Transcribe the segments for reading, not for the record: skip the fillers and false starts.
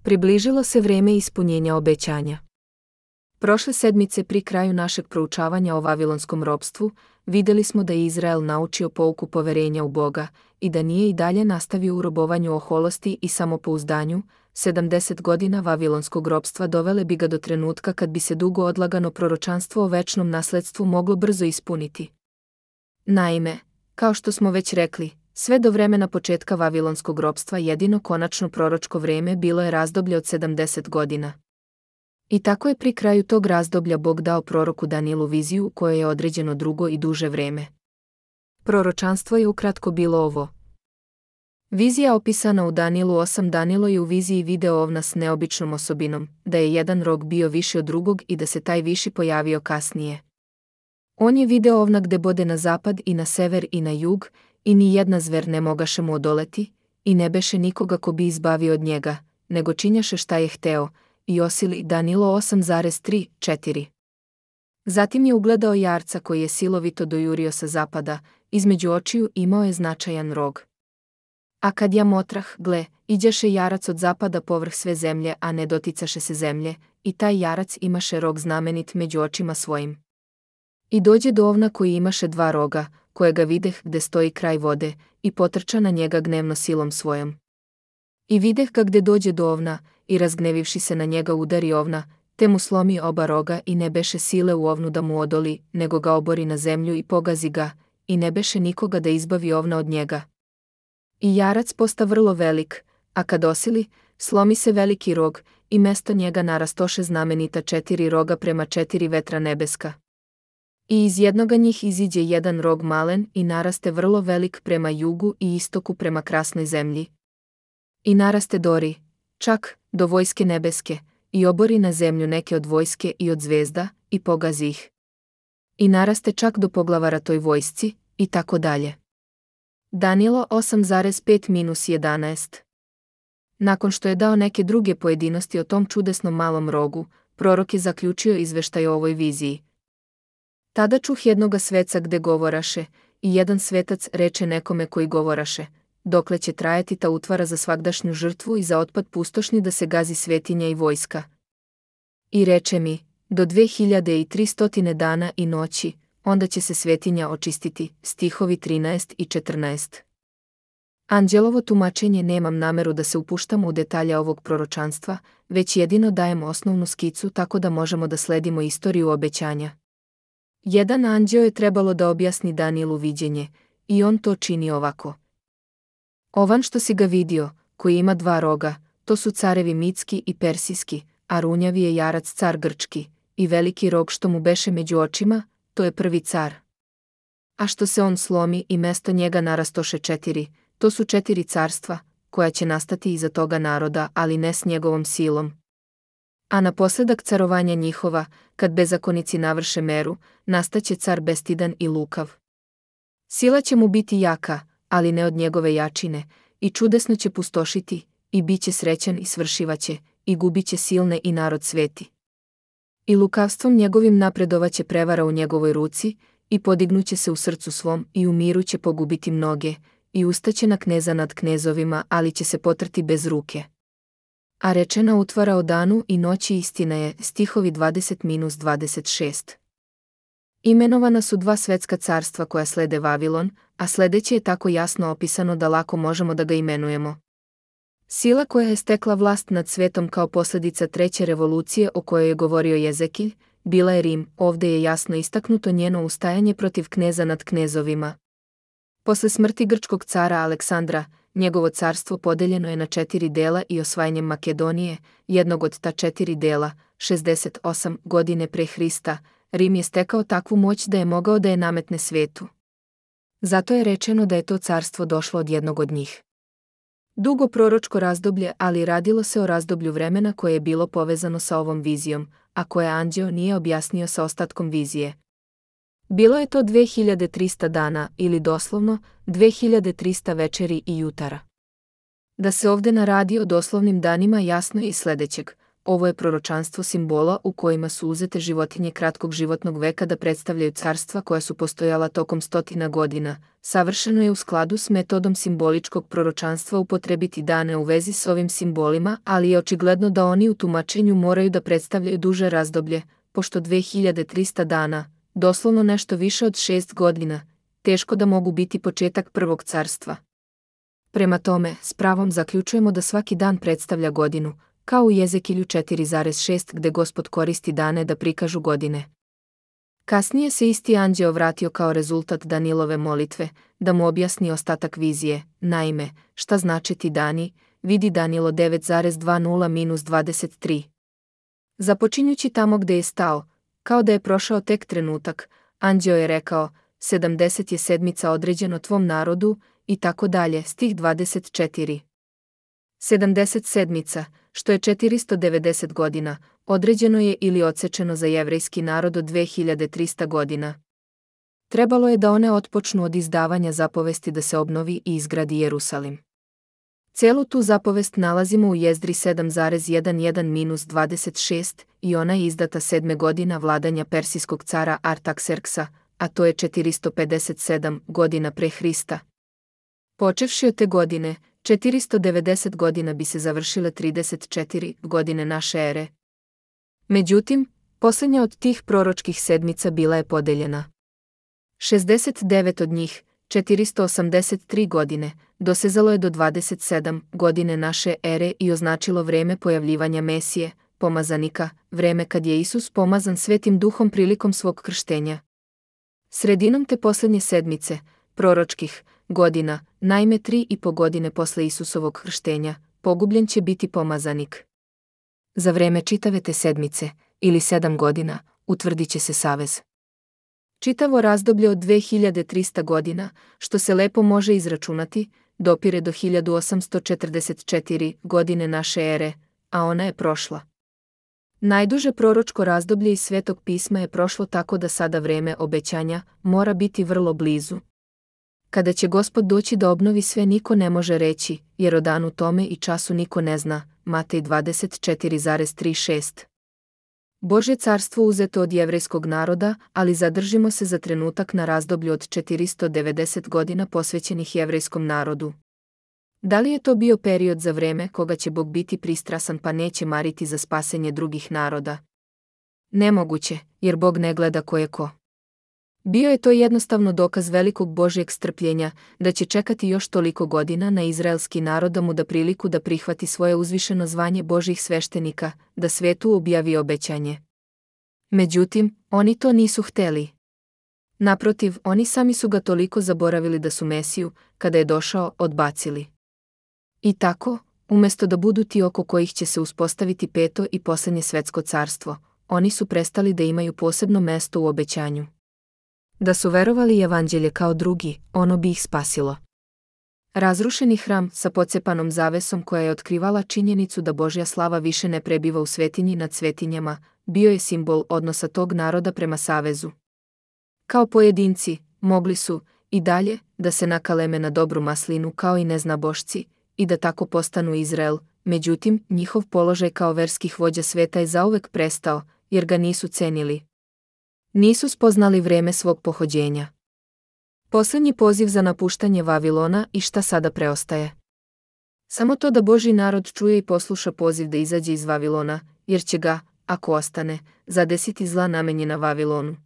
Približilo se vreme ispunjenja obećanja. Prošle sedmice pri kraju našeg proučavanja o vavilonskom ropstvu, vidjeli smo da je Izrael naučio pouku poverenja u Boga i da nije i dalje nastavio u robovanju oholosti i samopouzdanju. 70 godina vavilonskog ropstva dovele bi ga do trenutka kad bi se dugo odlagano proročanstvo o večnom nasledstvu moglo brzo ispuniti. Naime, kao što smo već rekli, sve do vremena početka vavilonskog ropstva jedino konačno proročko vreme bilo je razdoblje od 70 godina. I tako je pri kraju tog razdoblja Bog dao proroku Danielu viziju u kojoj je određeno drugo i duže vreme. Proročanstvo je ukratko bilo ovo. Vizija opisana u Danielu 8. Danilo je u viziji video ovna s neobičnom osobinom, da je jedan rog bio viši od drugog i da se taj viši pojavio kasnije. On je video ovna gde bode na zapad i na sever i na jug, i ni jedna zver ne mogaše mu odoleti, i ne beše nikoga ko bi izbavio od njega, nego činjaše šta je hteo, i osili Danilo 8,3-4. Zatim je ugledao jarca koji je silovito dojurio sa zapada, između očiju imao je značajan rog. A kad ja motrah, gle, iđaše jarac od zapada povrh sve zemlje, a ne doticaše se zemlje, i taj jarac imaše rog znamenit među očima svojim. I dođe do ovna koji imaše dva roga, kojega videh gde stoji kraj vode, i potrča na njega gnevno silom svojom. I videh ga gde dođe do ovna, i razgnevivši se na njega udari ovna, te mu slomi oba roga i ne beše sile u ovnu da mu odoli, nego ga obori na zemlju i pogazi ga, i ne beše nikoga da izbavi ovna od njega. I jarac posta vrlo velik, a kad osili, slomi se veliki rog, i mesto njega narastoše znamenita 4 roga prema 4 vetra nebeska. I iz jednoga njih iziđe jedan rog malen i naraste vrlo velik prema jugu i istoku prema krasnoj zemlji. I naraste dori, čak, do vojske nebeske, i obori na zemlju neke od vojske i od zvezda, i pogazi ih. I naraste čak do poglavara toj vojsci, i tako dalje. Danilo 8,5-11. Nakon što je dao neke druge pojedinosti o tom čudesnom malom rogu, prorok je zaključio izveštaj o ovoj viziji. Tada čuh jednoga sveca gde govoraše, i jedan svetac reče nekome koji govoraše, dokle će trajati ta utvara za svagdašnju žrtvu i za otpad pustošni da se gazi svetinja i vojska. I reče mi, do 2300 dana i noći, onda će se svetinja očistiti, stihovi 13 i 14. Anđelovo tumačenje nemam nameru da se upuštam u detalje ovog proročanstva, već jedino dajem osnovnu skicu tako da možemo da sledimo istoriju obećanja. Jedan anđeo je trebalo da objasni Danielu viđenje, i on to čini ovako. Ovan što si ga vidio, koji ima dva roga, to su carevi mitski i persijski, a runjavi je jarac car grčki, i veliki rog što mu beše među očima, to je prvi car. A što se on slomi i mesto njega narastoše 4, to su 4 carstva, koja će nastati iza toga naroda, ali ne s njegovom silom. A naposledak carovanja njihova, kad bezakonici navrše meru, nastaće car bestidan i lukav. Sila će mu biti jaka, ali ne od njegove jačine, i čudesno će pustošiti, i bit će srećan i svršivaće, i gubit će silne i narod sveti. I lukavstvom njegovim napredovaće prevara u njegovoj ruci, i podignuće se u srcu svom, i u miru će pogubiti mnoge, i ustaće na kneza nad knezovima, ali će se potrti bez ruke. A rečena utvara o danu i noći istina je, stihovi 20-26. Imenovana su 2 svetska carstva koja slede Vavilon, a sledeće je tako jasno opisano da lako možemo da ga imenujemo. Sila koja je stekla vlast nad svetom kao posljedica treće revolucije o kojoj je govorio Jezekilj, bila je Rim, ovde je jasno istaknuto njeno ustajanje protiv kneza nad knezovima. Posle smrti grčkog cara Aleksandra, njegovo carstvo podeljeno je na 4 dela i osvajanjem Makedonije, jednog od ta 4 dela, 68 godine pre Hrista, Rim je stekao takvu moć da je mogao da je nametne svetu. Zato je rečeno da je to carstvo došlo od jednog od njih. Dugo proročko razdoblje, ali radilo se o razdoblju vremena koje je bilo povezano sa ovom vizijom, a koje anđeo nije objasnio sa ostatkom vizije. Bilo je to 2300 dana ili doslovno 2300 večeri i jutara. Da se ovde naradi o doslovnim danima jasno je iz sledećeg. ovo je proročanstvo simbola u kojima su uzete životinje kratkog životnog veka da predstavljaju carstva koja su postojala tokom stotina godina. Savršeno je u skladu s metodom simboličkog proročanstva upotrebiti dane u vezi s ovim simbolima, ali je očigledno da oni u tumačenju moraju da predstavljaju duže razdoblje, pošto 2300 dana, doslovno nešto više od 6 godina, teško da mogu biti početak prvog carstva. Prema tome, s pravom zaključujemo da svaki dan predstavlja godinu, kao u Jezekilju 4,6 gde Gospod koristi dane da prikažu godine. Kasnije se isti anđeo vratio kao rezultat Danilove molitve, da mu objasni ostatak vizije. Naime, šta znači ti dani, vidi Danilo 9,20-23. Započinjući tamo gde je stao, kao da je prošao tek trenutak, anđeo je rekao, 70 je sedmica određeno tvom narodu, i tako dalje, stih 24. 70 sedmica, što je 490 godina, određeno je ili odsečeno za jevrejski narod od 2300 godina. Trebalo je da one otpočnu od izdavanja zapovesti da se obnovi i izgradi Jerusalim. Celu tu zapovest nalazimo u Jezdri 7,11-26 i ona je izdata 7. godina vladanja persijskog cara Artakserksa, a to je 457 godina pre Hrista. Počevši od te godine, 490 godina bi se završile 34 godine naše ere. Međutim, posljednja od tih proročkih sedmica bila je podeljena. 69 od njih, 483 godine, dosezalo je do 27 godine naše ere i označilo vreme pojavljivanja Mesije, pomazanika, vreme kad je Isus pomazan Svetim Duhom prilikom svog krštenja. Sredinom te posljednje sedmice, proročkih godina, naime 3,5 godine posle Isusovog krštenja, pogubljen će biti pomazanik. Za vreme čitave te sedmice, ili 7 godina, utvrdit će se savez. Čitavo razdoblje od 2300 godina, što se lepo može izračunati, dopire do 1844 godine naše ere, a ona je prošla. Najduže proročko razdoblje iz Svetog pisma je prošlo tako da sada vreme obećanja mora biti vrlo blizu. Kada će Gospod doći da obnovi sve niko ne može reći, jer o danu tome i času niko ne zna, Matej 24,36. Božje carstvo uzeto od jevrejskog naroda, ali zadržimo se za trenutak na razdoblju od 490 godina posvećenih jevrejskom narodu. Da li je to bio period za vreme koga će Bog biti pristrasan pa neće mariti za spasenje drugih naroda? Nemoguće, jer Bog ne gleda ko je ko. Bio je to jednostavno dokaz velikog Božjeg strpljenja, da će čekati još toliko godina na izraelski narod da mu da priliku da prihvati svoje uzvišeno zvanje Božjih sveštenika, da svetu objavi obećanje. Međutim, oni to nisu hteli. Naprotiv, oni sami su ga toliko zaboravili da su Mesiju, kada je došao, odbacili. I tako, umjesto da budu ti oko kojih će se uspostaviti peto i posljednje svetsko carstvo, oni su prestali da imaju posebno mesto u obećanju. Da su verovali evanđelje kao drugi, ono bi ih spasilo. Razrušeni hram sa pocepanom zavesom koja je otkrivala činjenicu da Božja slava više ne prebiva u svetinji nad svetinjama, bio je simbol odnosa tog naroda prema savezu. Kao pojedinci, mogli su, i dalje, da se nakaleme na dobru maslinu kao i neznabošci, i da tako postanu Izrael, međutim, njihov položaj kao verskih vođa sveta je zauvek prestao, jer ga nisu cenili. Nisu spoznali vreme svog pohođenja. Posljednji poziv za napuštanje Vavilona i šta sada preostaje? Samo to da Božji narod čuje i posluša poziv da izađe iz Vavilona, jer će ga, ako ostane, zadesiti zla namenjena Vavilonu.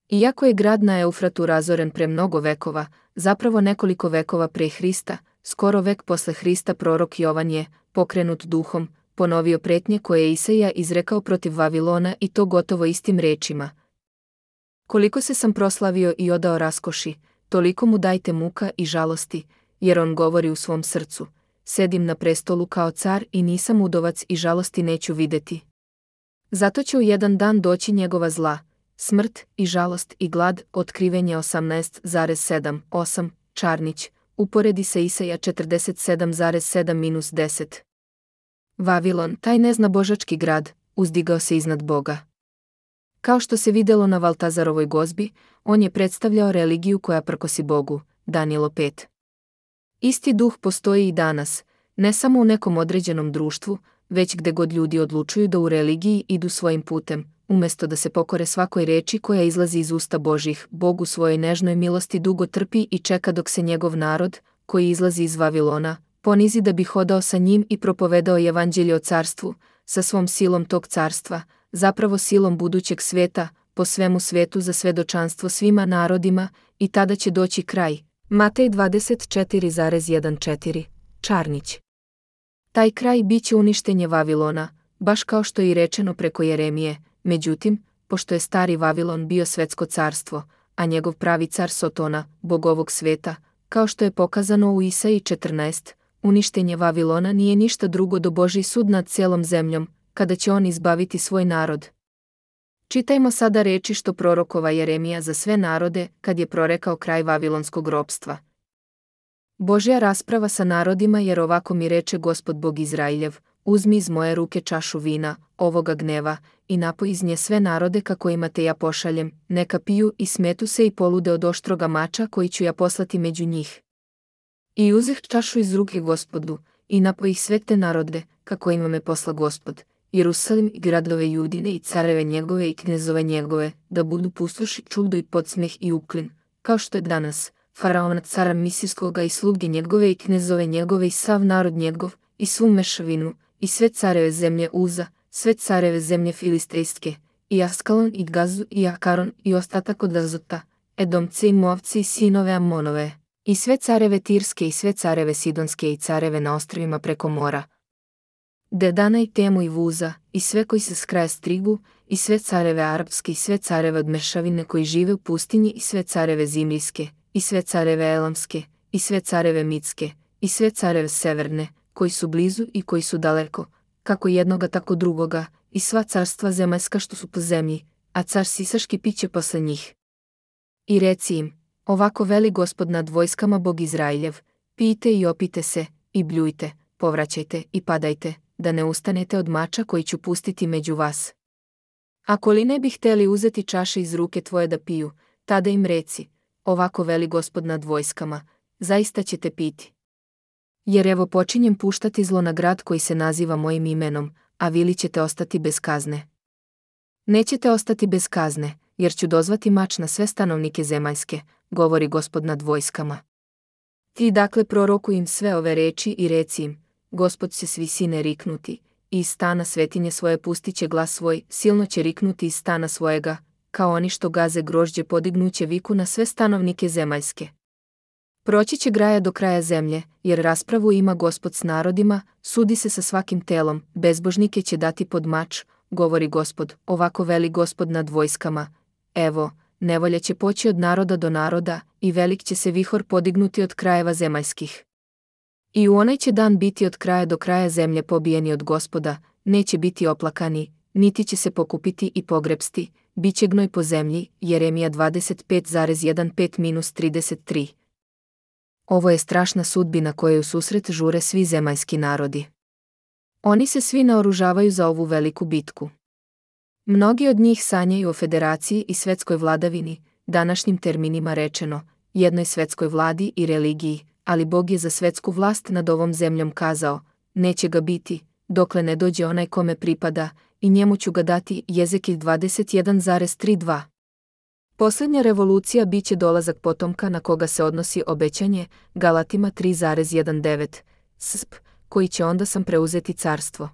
Iako je grad na Eufratu razoren pre mnogo vekova, zapravo nekoliko vekova pre Hrista, skoro vek posle Hrista prorok Jovan je, pokrenut duhom, ponovio pretnje koje je Isaija izrekao protiv Vavilona i to gotovo istim rečima. Koliko se sam proslavio i odao raskoši, toliko mu dajte muka i žalosti, jer on govori u svom srcu, sedim na prestolu kao car i nisam udovac i žalosti neću videti. Zato će u jedan dan doći njegova zla, smrt i žalost i glad, otkrivenje 18,7,8, Čarnić, uporedi sa Isaija 47,7-10. Vavilon, taj neznabožački grad, uzdigao se iznad Boga. Kao što se vidjelo na Valtazarovoj gozbi, on je predstavljao religiju koja prkosi Bogu, Danilo 5. Isti duh postoji i danas, ne samo u nekom određenom društvu, već gde god ljudi odlučuju da u religiji idu svojim putem, umjesto da se pokore svakoj reči koja izlazi iz usta Božih. Bog u svojoj nežnoj milosti dugo trpi i čeka dok se njegov narod, koji izlazi iz Vavilona, ponizi da bi hodao sa njim i propovedao evanđelje o carstvu, sa svom silom tog carstva, zapravo silom budućeg sveta, po svemu svetu za svedočanstvo svima narodima, i tada će doći kraj. Matej 24,14. Čarnić. Taj kraj bit će uništenje Vavilona, baš kao što je i rečeno preko Jeremije. Međutim, pošto je stari Vavilon bio svetsko carstvo, a njegov pravi car Sotona, bog ovog sveta, kao što je pokazano u Isaiji 14, uništenje Vavilona nije ništa drugo do Božji sud nad cijelom zemljom, kada će on izbaviti svoj narod. Čitajmo sada reči što prorokova Jeremija za sve narode, kad je prorekao kraj vavilonskog ropstva. Božja rasprava sa narodima, jer ovako mi reče Gospod Bog Izrailjev: uzmi iz moje ruke čašu vina, ovoga gneva, i napoj iz nje sve narode kako imate ja pošaljem, neka piju i smetu se i polude od oštroga mača koji ću ja poslati među njih. I uzeh čašu iz ruke Gospodu, i napoj ih sve te narode, kako ima me posla Gospod, Jerusalim i gradove Judine i careve njegove i knezove njegove, da budu pustoš i čudo i podsmeh i uklin, kao što je danas, faraona cara Misirskoga i sluge njegove i knezove njegove i sav narod njegov, i svu mešavinu, i sve careve zemlje Uza, sve careve zemlje Filistejske, i Askalon i Gazu i Akaron i ostatak od Azota, Edomce i Moavce i sinove Amonove, i sve careve Tirske i sve careve Sidonske i careve na ostrvima preko mora, Dedana i Temu i Vuza, i sve koji se s kraja strigu, i sve careve Arapske i sve careve od mešavine koji žive u pustinji i sve careve Zimrijske, i sve careve Elamske, i sve careve Mitske, i sve careve Severne, koji su blizu i koji su daleko, kako jednoga tako drugoga, i sva carstva zemaljska što su po zemlji, a car Sisaški piće posle njih. I reci im: ovako veli Gospod nad vojskama Bog Izrailjev: pijte i opite se, i bljujte, povraćajte i padajte, da ne ustanete od mača koji ću pustiti među vas. Ako li ne bi hteli uzeti čaše iz ruke tvoje da piju, tada im reci: ovako veli Gospod nad vojskama, zaista ćete piti. Jer evo počinjem puštati zlo na grad koji se naziva mojim imenom, a vi li ćete ostati bez kazne? Nećete ostati bez kazne, jer ću dozvati mač na sve stanovnike zemaljske, govori Gospod nad vojskama. Ti dakle prorokuj im sve ove reči i reci im: Gospod će s visine riknuti, i iz stana svetinje svoje pustiće glas svoj, silno će riknuti iz stana svojega, kao oni što gaze grožđe podignuće viku na sve stanovnike zemaljske. Proći će graja do kraja zemlje, jer raspravu ima Gospod s narodima, sudi se sa svakim telom, bezbožnike će dati pod mač, govori Gospod, ovako veli Gospod nad vojskama: evo, nevolja će poći od naroda do naroda, i velik će se vihor podignuti od krajeva zemaljskih. I u onaj će dan biti od kraja do kraja zemlje pobijeni od Gospoda, neće biti oplakani, niti će se pokupiti i pogrebsti, bit će gnoj po zemlji. Jeremija 25,15-33. Ovo je strašna sudbina kojoj u susret žure svi zemaljski narodi. Oni se svi naoružavaju za ovu veliku bitku. Mnogi od njih sanjaju o federaciji i svetskoj vladavini, današnjim terminima rečeno, jednoj svetskoj vladi i religiji, ali Bog je za svetsku vlast nad ovom zemljom kazao: neće ga biti, dokle ne dođe onaj kome pripada, i njemu ću ga dati. Jezekilj 21,32. Posljednja revolucija bit će dolazak potomka na koga se odnosi obećanje, Galatima 3,19, koji će onda sam preuzeti carstvo.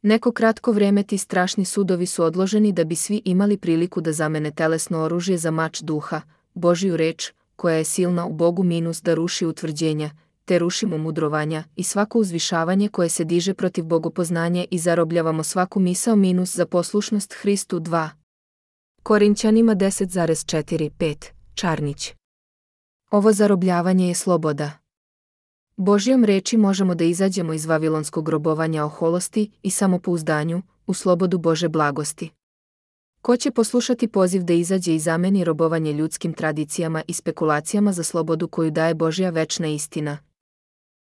Neko kratko vreme ti strašni sudovi su odloženi da bi svi imali priliku da zamene telesno oružje za mač duha, Božju reč, koja je silna u Bogu da ruši utvrđenja, te rušimo mudrovanja i svako uzvišavanje koje se diže protiv bogopoznanja i zarobljavamo svaku misao za poslušnost Hristu. 2. Korinćanima 10,4-5. Čarnić. Ovo zarobljavanje je sloboda. Božjom reči možemo da izađemo iz vavilonskog robovanja oholosti i samopouzdanju, u slobodu Bože blagosti. Ko će poslušati poziv da izađe i zameni robovanje ljudskim tradicijama i spekulacijama za slobodu koju daje Božja večna istina?